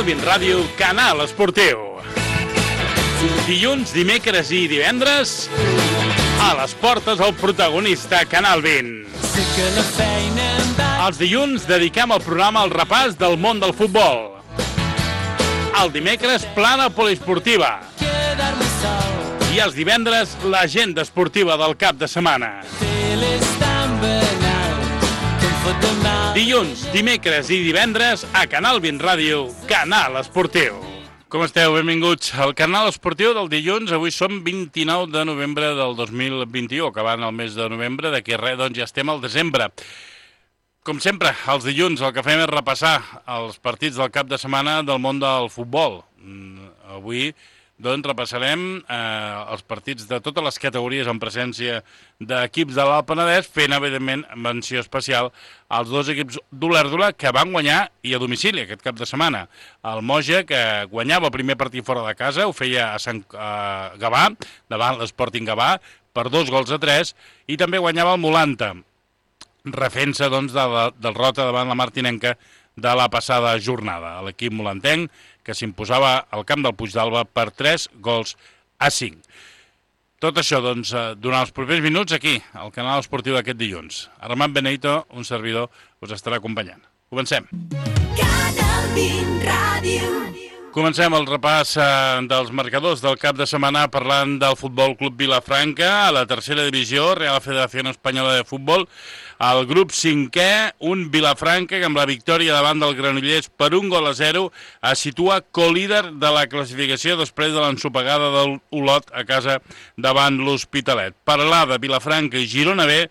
Bin Ràdio, Canal Esportiu. Dilluns, dimecres i divendres, a les portes el protagonista Canal Bin. Els dilluns dediquem el programa al repàs del món del futbol. El dimecres, plana poliesportiva. I els divendres, l'agenda esportiva del cap de setmana. Dilluns, dimecres i divendres a Canal Bin Ràdio, Canal Esportiu. Com esteu? Benvinguts al Canal Esportiu del dilluns. Avui som 29 de novembre del 2021, acabant el mes de novembre. D'aquí res, doncs ja estem al desembre. Com sempre, els dilluns el que fem és repassar els partits del cap de setmana del món del futbol. Avui doncs repassarem els partits de totes les categories en presència d'equips de l'Alt Penedès, fent evidentment menció especial als dos equips d'Olèrdola que van guanyar i a domicili aquest cap de setmana. El Moja, que guanyava el primer partit fora de casa, ho feia a Gavà, davant l'Sporting Gavà, per 2-3, i també guanyava el Molanta, refent-se doncs, de la derrota davant la Martinenca de la passada jornada. L'equip molantenc que s'imposava al camp del Puigdàlber per 3-5. Tot això, doncs, durant els propers minuts aquí, al Canal Esportiu d'aquest dilluns. Armand Benito, un servidor, us estarà acompanyant. Comencem. Canal Bin Ràdio. Comencem el repàs dels marcadors del cap de setmana parlant del Futbol Club Vilafranca. A la tercera divisió, Real Federación Española de Futbol, el grup 5è, un Vilafranca que amb la victòria davant del Granollers per 1-0 es situa co-líder de la classificació després de l'ensopegada del Olot a casa davant l'Hospitalet. Peralada, Vilafranca i Girona B,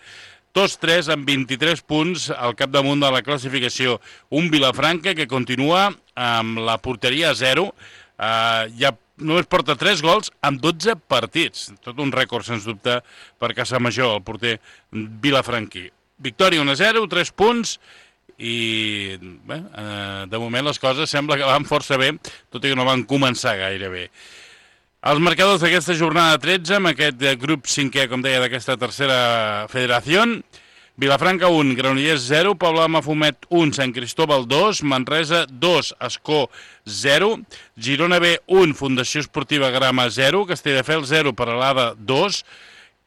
tots tres amb 23 punts al capdamunt de la classificació. Un Vilafranca que continua amb la porteria a 0, ja només porta 3 gols amb 12 partits. Tot un rècord, sens dubte, per Casamajor, el porter vilafranquí. Victòria 1-0, 3 punts, i bé, de moment les coses sembla que van força bé, tot i que no van començar gaire bé. Els marcadors d'aquesta jornada 13, amb aquest grup 5è, com deia, d'aquesta tercera federació: Vilafranca 1, Granollers 0, Pobla de Mafumet 1, Sant Cristóbal 2, Manresa 2, Ascó 0, Girona B 1, Fundació Esportiva Grama 0, Castelldefels 0, Peralada 2,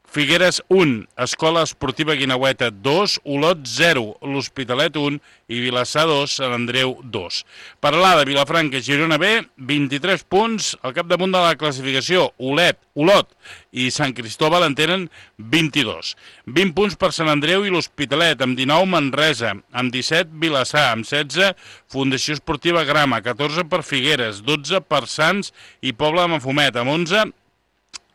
Figueres 1, Escola Esportiva Guineueta 2, Olot 0, l'Hospitalet 1 i Vilassar 2, Sant Andreu 2. Peralada, Vilafranca, Girona B, 23 punts, al capdamunt de la classificació. Olot i Sant Cristóbal en tenen 22. 20 punts per Sant Andreu i l'Hospitalet, amb 19 Manresa, amb 17 Vilassar, amb 16 Fundació Esportiva Grama, 14 per Figueres, 12 per Sants i Pobla de Mafumet, amb 11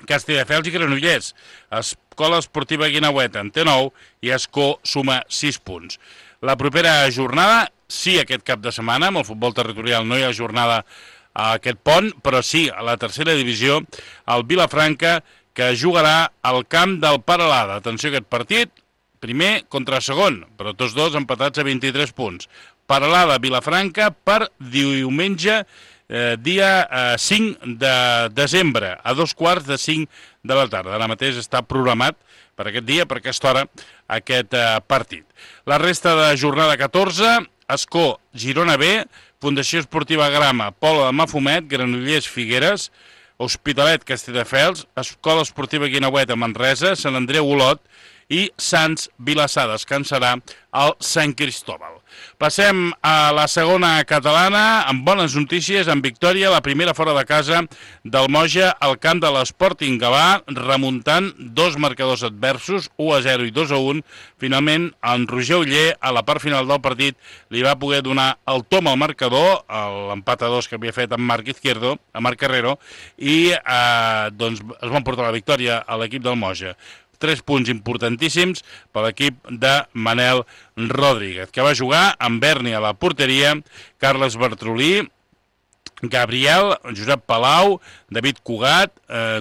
Castelldefels i Granollers. Escola Esportiva Guineueta en té 9 i Ascó suma 6 punts. La propera jornada, sí, aquest cap de setmana, amb el futbol territorial no hi ha jornada a aquest pont, però sí, a la tercera divisió, el Vilafranca, que jugarà al camp del Peralada. Atenció a aquest partit, primer contra segon, però tots dos empatats a 23 punts. Peralada, Vilafranca, per diumenge, dia 5 de desembre, a 2:45 de la tarda. Ara mateix està programat per aquest dia, per aquesta hora, aquest partit. La resta de jornada 14, Ascó, Girona B, Fundació Esportiva Grama, Pobla de Mafumet, Granollers, Figueres, Hospitalet, Castelldefels, Escola Esportiva Guineueta, Manresa, Sant Andreu, Olot i Sants, Vilassar. Descansarà al Sant Cristóbal. Passem a la segona catalana, amb bones notícies, amb victòria, la primera fora de casa del Moja al camp de l'Sporting Gavà, remuntant dos marcadors adversos, 1-0 i 2-1. Finalment, en Roger Oller, a la part final del partit, li va poder donar el tom al marcador, l'empat a 2 que havia fet amb Marc Izquierdo, a Marc Carrero, i doncs es van portar la victòria a l'equip del Moja. 3 punts importantíssims per l'equip de Manel Rodríguez, que va jugar amb Berni a la porteria, Carles Bertrolí, Gabriel, Josep Palau, David Cugat,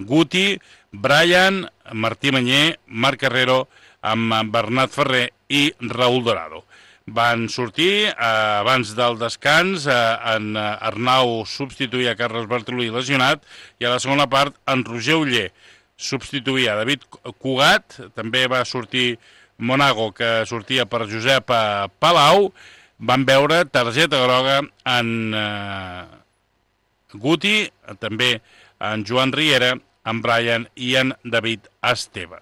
Guti, Brian, Martí Manyer, Marc Carrero, amb Bernat Ferrer i Raúl Dorado. Van sortir abans del descans, en Arnau substituïa Carles Bertrolí lesionat, i a la segona part en Roger Oller substituïa David Cugat, també va sortir Monago, que sortia per Josep Palau. Van veure targeta groga en Guti, també en Joan Riera, en Brian i en David Esteve.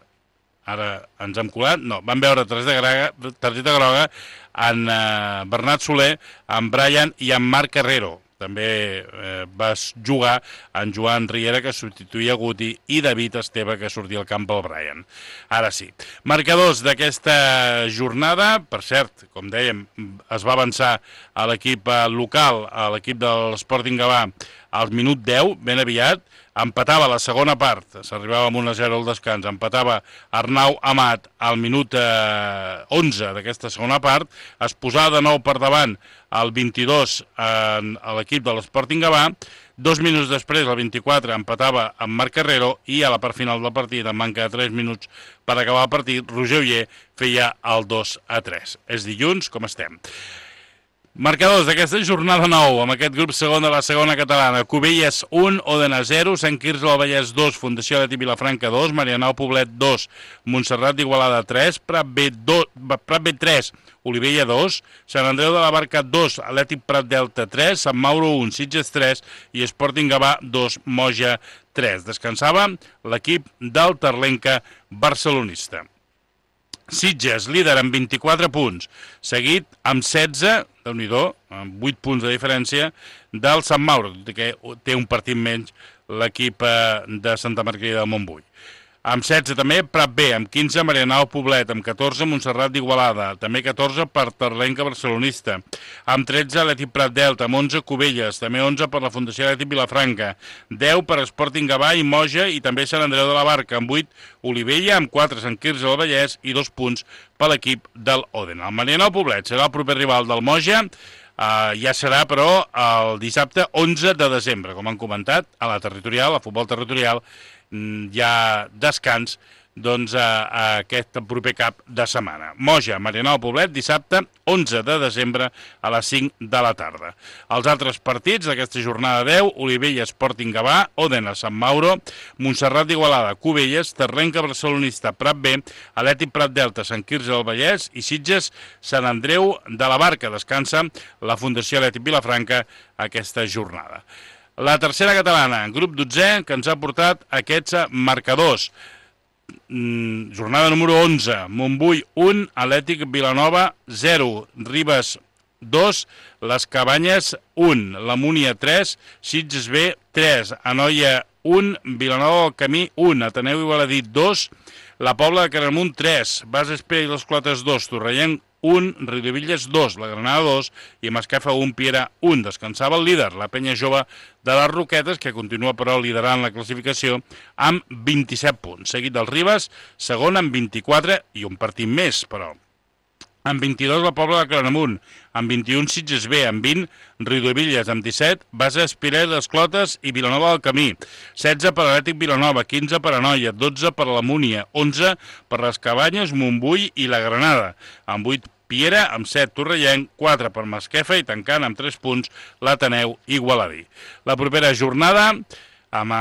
Ara ens hem colat, no, van veure targeta groga en Bernat Soler, en Brian i en Marc Carrero. També va jugar en Joan Riera, que substituïa Guti, i David Esteve, que sortia al camp pel Brian. Ara sí. Marcadors d'aquesta jornada, per cert, com dèiem, es va avançar a l'equip local, a l'equip de l'Sporting Gavà, al minut 10, ben aviat, empatava la segona part, s'arribava amb 1-0 al descans, empatava Arnau Amat al minut 11 d'aquesta segona part, es posava de nou per davant al 22 a l'equip de l'Sporting Gavà, 2 minuts després, al 24, empatava amb Marc Carrero i a la part final del partit, en manca de 3 minuts per acabar el partit, Roger Oller feia el 2-3. És dilluns, com estem. Marcadors d'aquesta jornada 9, amb aquest grup segon de la segona catalana. Cubelles 1, Òdena 0, Sant Quirze del Vallès 2, Fundació Atlètic Vilafranca 2, Marianao Poblet 2, Montserrat d'Igualada 3, Prat B 3, Olivella 2, Sant Andreu de la Barca 2, Atlètic Prat Delta 3, Sant Mauro 1, Sitges 3 i Sporting Gavà 2, Moja 3. Descansava l'equip del Terlenca barcelonista. Sitges, líder amb 24 punts, seguit amb 16, déu-n'hi-do, amb 8 punts de diferència, del Sant Mauro, que té un partit menys l'equip de Santa Margarida del Montbui. Amb 16 també Prat B, amb 15 Marianao Poblet, amb 14 Montserrat d'Igualada, també 14 per Terlenca barcelonista, amb 13 Atlètic Prat Delta, amb 11 Cubelles, també 11 per la Fundació Atlètic Vilafranca, 10 per Sporting Gavà i Moja i també Sant Andreu de la Barca, amb 8 Olivella, amb 4 Sant Quirze del Vallès i 2 punts per l'equip del Òdena. El Marianao Poblet serà el proper rival del Moja, ja serà, però, el dissabte 11 de desembre, com han comentat, a la territorial, a futbol territorial, hi ha descans doncs, a aquest proper cap de setmana. Moja, Marianao Poblet, dissabte 11 de desembre a les 5 de la tarda. Els altres partits d'aquesta jornada 10, Olivella, Sporting Gavà, Òdena, Sant Mauro, Montserrat d'Igualada, Cubelles, Terlenca barcelonista, Prat B, Atlètic Prat Delta, Sant Quirze del Vallès i Sitges, Sant Andreu de la Barca. Descansa la Fundació Atlètic Vilafranca aquesta jornada. La tercera catalana, grup 12, que ens ha portat aquests marcadors. Jornada número 11, Montbui 1, Atlètic Vilanova 0, Ribes 2, Les Cabanyes 1, La Múnia 3, Sitges B 3, Anoia 1, Vilanova del Camí 1, Ateneu Igualadí 2, La Pobla de Caramunt 3, Bases Pere i les Clotes 2, Torrellenc 1, Riudevilles 2, La Granada 2 i Masquefa 1, Piera 1. Descansava el líder, la penya jove de les Roquetes, que continua però liderant la classificació amb 27 punts. Seguit dels Ribes, segon amb 24 i un partit més, però. Amb 22 la Pobla de Claramunt, amb 21 Sitges B, amb 20 Riudevilles, amb 17 Bases Pere i les Clotes i Vilanova del Camí, 16 per Atlètic Vilanova, 15 per Anoia, 12 per la Múnia, 11 per les Cabanyes, Montbui i la Granada, amb 8 Piera, amb 7 Torrellenc, 4 per Masquefa i tancant amb 3 punts l'Ateneu Igualadí. La propera jornada, amb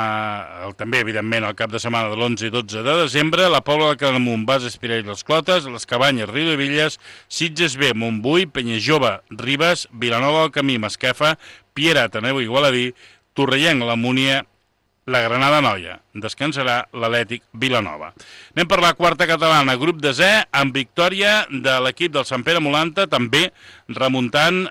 també, evidentment, el cap de setmana de l'11 i 12 de desembre, la Pobla de Claramunt, Bases Pere i les Clotes, les Cabanyes, Riudevilles, Sitges B, Montbui, Penyajove, Ribes, Vilanova del Camí, Masquefa, Piera, Ateneu Igualadí, Torrellenc, la Múnia, la Granada Noia. Descansarà l'Atlètic Vilanova. Anem per la quarta catalana, grup de Z, amb victòria de l'equip del Sant Pere Molanta, també remuntant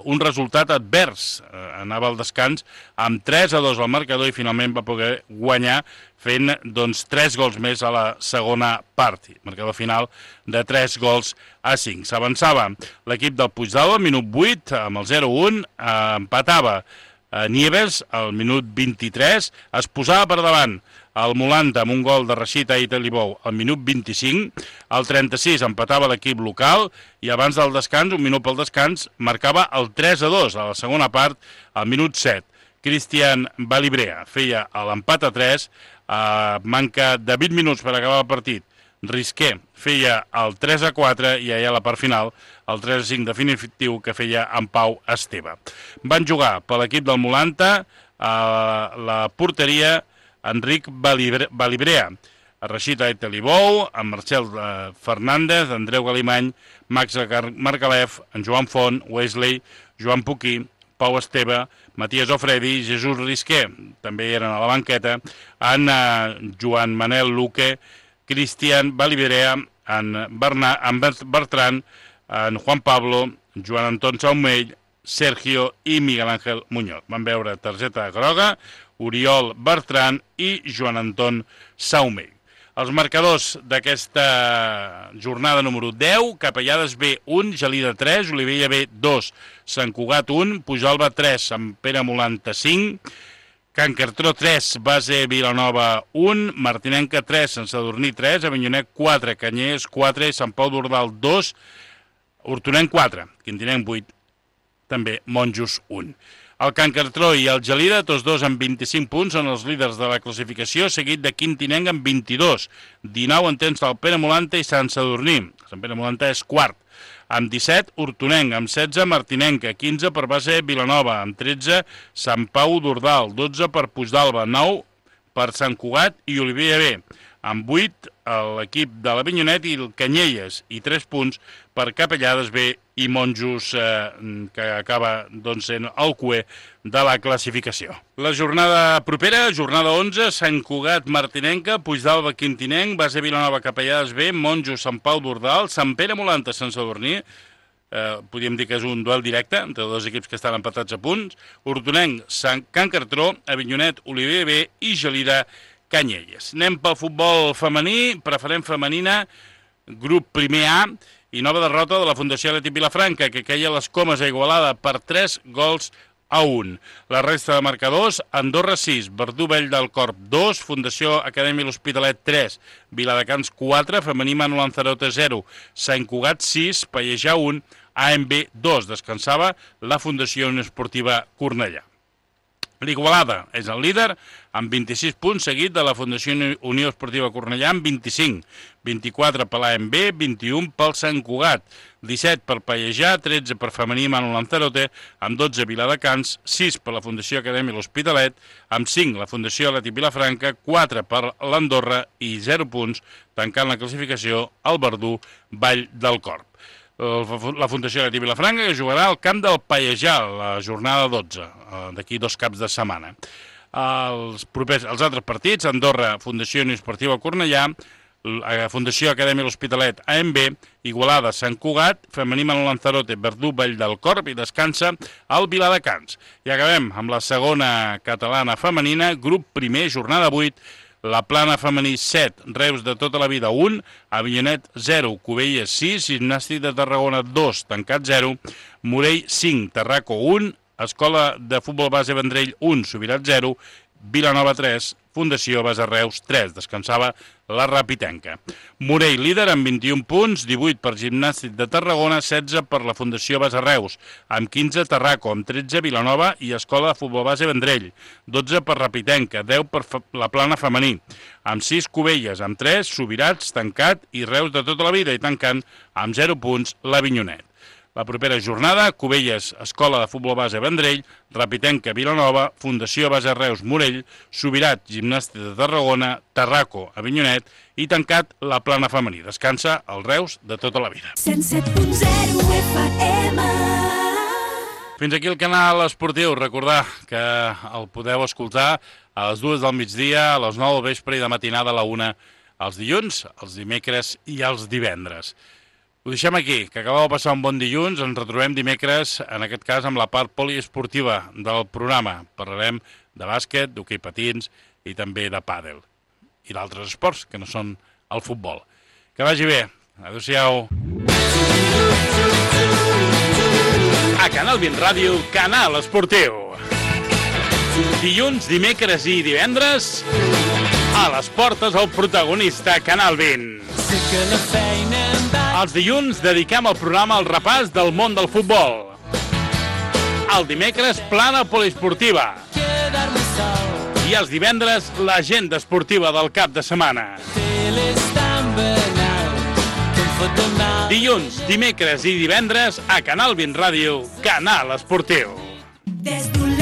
un resultat advers. Anava al descans amb 3-2 al marcador i finalment va poder guanyar fent 3 gols més a la segona part. Marcador final de 3-5. S'avançava l'equip del Puigdàlber al minut 8 amb el 0-1, empatava Nieves al minut 23, es posava per davant el Molanta amb un gol de Rashid Ait Alibou al minut 25, al 36 empatava l'equip local i abans del descans, un minut pel descans, marcava el 3-2 a la segona part al minut 7. Cristian Balibrea feia l'empat a 3, manca de 20 minuts per acabar el partit. Risqué feia el 3-4 i allà a la part final el 3-5 definitiu que feia en Pau Esteve. Van jugar per l'equip del Molanta a la porteria Enric Balibrea, Rashid Ait Alibou, en Marcel Fernández, Andreu Galimany, Max Margalef, en Joan Font, Wesley, Joan Puquí, Pau Esteve, Matías Ofredi, Jesús Risqué, també eren a la banqueta, en Joan Manel Luque, Cristian Valiverea, en Bertran, en Juan Pablo, Joan Anton Saumell, Sergio i Miguel Ángel Muñoz. Van veure targeta groga, Oriol Bertran i Joan Anton Saumell. Els marcadors d'aquesta jornada número 10, Capellades B 1, Gelida 3, Olivella B 2, Sant Cugat 1, Pujolva 3, Sant Pere Molanta 5, Can Cartró 3, Base Vilanova 1, Martinenca 3, Sant Sadurní 3, Avinyonet 4, Canyelles 4, Sant Pau d'Ordal 2, Hortonenc 4, Quintinenc 8, també Monjos 1. El Can Cartró i el Gelida, tots dos amb 25 punts, són els líders de la classificació, seguit de Quintinenc amb 22. 19 en tens del Pere Molanta i Sant Sadurní. Sant Pere Molanta és quart. Amb 17, Hortonenc. Amb 16, Martinenca. 15 per Base Vilanova. Amb 13, Sant Pau d'Ordal. 12 per Puigdàlber. 9 per Sant Cugat i Olivella B. Amb 8, l'equip de l'Avinyonet i el Canyelles. I 3 punts per Capellades B i Monjos, que acaba sent el cuer de la classificació. La jornada propera, jornada 11, Sant Cugat, Martinenca, Puigdàlber, Quintinenc, Base Vilanova, Capellades B, Monjos, Sant Pau d'Ordal, Sant Pere Molanta, Sant Sadurní. Podríem dir que és un duel directe entre dos equips que estan empatats a punts. Hortonenc, Can Cartró, Avinyonet, Olivella B i Gelida, Canyelles. Anem pel futbol femení, preferent femenina, grup primer A, i nova derrota de la Fundació Atlètic Vilafranca, que queia les Comes a Igualada per 3-1. La resta de marcadors, Andorra 6, Verdú Vell del Corp 2, Fundació Acadèmia L'Hospitalet 3, Viladecans 4, Femení Manu Lanzarote 0, Sant Cugat 6, Pallejà 1, AMB 2. Descansava la Fundació Unió Esportiva Cornellà. L'Igualada és el líder amb 26 punts, seguit de la Fundació Unió Esportiva Cornellà amb 25. 24 per l'AMB, 21 pel Sant Cugat, 17 per Pallejà, 13 per Femení Manu Lanzarote, amb 12 Viladecans, 6 per la Fundació Acadèmia L'Hospitalet, amb 5 la Fundació Atlètic Vilafranca, 4 per l'Andorra i 0 punts, tancant la classificació el Verdú Vall del Corp. La Fundació Atlètic Vilafranca, que jugarà al camp del Pallejà, la jornada 12, d'aquí 2 caps de setmana. Els altres partits, Andorra, Fundació Unió Esportiva Cornellà, Fundació Acadèmia L'Hospitalet, AMB, Igualada, Sant Cugat, Femení Manu Lanzarote, Verdú Vall del Corp i descansa el Viladecans. I acabem amb la segona catalana femenina, grup primer, jornada 8, La Plana femení 7, Reus de tota la vida 1, Avinyonet 0, Cubelles 6, Gimnàstic de Tarragona 2, Tancat 0, Morell 5, Tarraco 1, Escola de Futbol Base Vendrell 1, Subirat 0, Vilanova 3, Fundació Base Reus 3, descansava la Rapitenca. Morell líder amb 21 punts, 18 per Gimnàstic de Tarragona, 16 per la Fundació Base Reus, amb 15 Tarraco, amb 13 Vilanova i Escola de Futbol Base Vendrell, 12 per Rapitenca, 10 per la Plana femení, amb 6 Cubelles, amb 3 Subirats, Tancat i Reus de tota la vida i tancant amb 0 punts l'Avinyonet. La propera jornada, Cubelles, Escola de Futbol Base Vendrell, Rapitenca, Vilanova, Fundació Base Reus, Morell, Subirat, Gimnàstic de Tarragona, Tarraco, Avinyonet i tancat la Plana femení. Descansa el Reus de tota la vida. 107.0 FM. Fins aquí el canal esportiu. Recordar que el podeu escoltar a les 2 del migdia, a les 9 del vespre i de matinada a la 1 els dilluns, els dimecres i els divendres. Ho deixem aquí, que acabeu de passar un bon dilluns, ens retrobem dimecres, en aquest cas amb la part poliesportiva del programa. Parlarem de bàsquet, d'hoquei patins i també de pàdel. I d'altres esports, que no són el futbol. Que vagi bé. Adéu-siau. A Canal 20 Ràdio, Canal Esportiu. Dilluns, dimecres i divendres, a les portes el protagonista Canal 20. Els dilluns dediquem el programa al repàs del món del futbol. El dimecres, plana poliesportiva. I els divendres, l'agenda esportiva del cap de setmana. Dilluns, dimecres i divendres, a Canal 20 Ràdio, Canal Esportiu. Des d'un